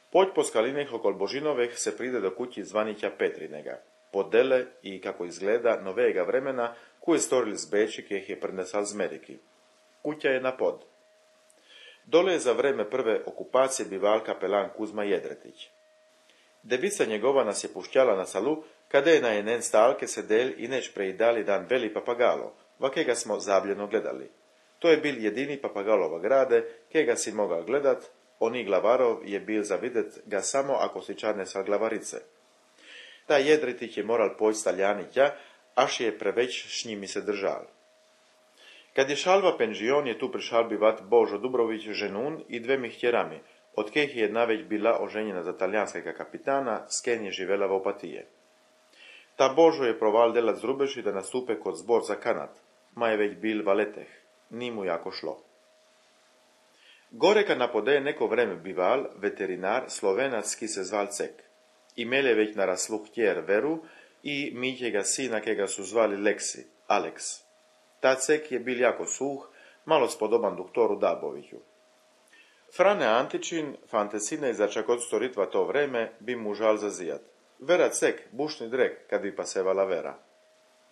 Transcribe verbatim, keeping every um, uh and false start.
Poď po skalinech okol Božinoveh se pride do kući zvanića Petrinega, podele i, kako izgleda, novega vremena, koje storili z Beči, kjeh je prinesal z Ameriki. Kuća je na pod. Dole je za vreme prve okupacije bival kapelan Kuzma Jedretić. Devica njegova nas je pušćala na salu, kada je na jenen stalke sedel i neč preidali dan veli papagalo, va kega smo zabljeno gledali. To je bil jedini papagalova grade, kega si mogao gledat, oni glavarov je bil za videt ga samo ako si čarne sa glavarice. Ta Jedretić je moral poć staljani tja, až je preveć s njimi se držal. Kad je šalva penžion, je tu prišal bivat Božo Dubrović ženun i dvemi htjerami, od kejih je jedna već bila oženjena za talijanskega kapitana, s ken je živela v Opatije. Ta Božo je proval delat z Rubeši da nastupe kod zbor za kanat, ma je već bil valeteh, ni mu jako šlo. Goreka napodeje neko vreme bival veterinar slovenac, ki se zval Cek. Imel je već naraslu htjer Veru i Mitjega sina, kega su zvali Leksi, Aleks. Ta Cek je bil jako suh, malo spodoban doktoru Daboviću. Frane Antičin, fantesine za čakot storitva to vreme, bi mu žal zazijat. Vera Cek, bušni drek, kad bi pasevala Vera.